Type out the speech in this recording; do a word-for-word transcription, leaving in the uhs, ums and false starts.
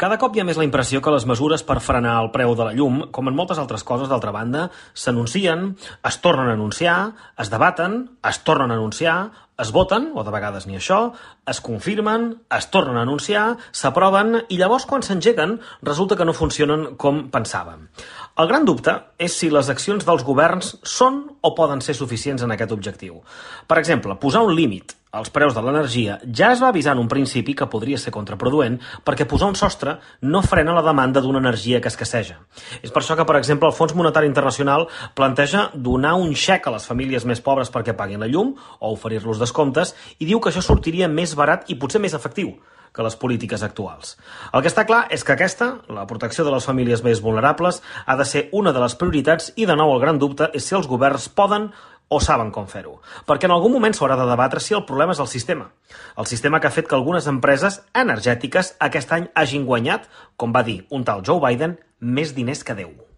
Cada cop hi ha més la impressió que les mesures per frenar el preu de la llum, com en moltes altres coses, d'altra banda, s'anuncien, es tornen a anunciar, es debaten, es tornen a anunciar, es voten, o de vegades ni això, es confirmen, es tornen a anunciar, s'aproven i llavors quan s'engeguen resulta que no funcionen com pensàvem. El gran dubte és si les accions dels governs són o poden ser suficients en aquest objectiu. Per exemple, posar un límit als preus de l'energia ja es va avisar en un principi que podria ser contraproduent perquè posar un sostre no frena la demanda d'una energia que escasseja. És per això que, per exemple, el Fons Monetari Internacional planteja donar un xec a les famílies més pobres perquè paguin la llum o oferir-los descomptes i diu que això sortiria més barat i potser més efectiu que les polítiques actuals. El que està clar és que aquesta, la protecció de les famílies més vulnerables, ha de ser una de les prioritats i, de nou, el gran dubte és si els governs poden o saben com fer-ho. Perquè en algun moment s'haurà de debatre si el problema és el sistema. El sistema que ha fet que algunes empreses energètiques aquest any hagin guanyat, com va dir un tal Joe Biden, més diners que Déu.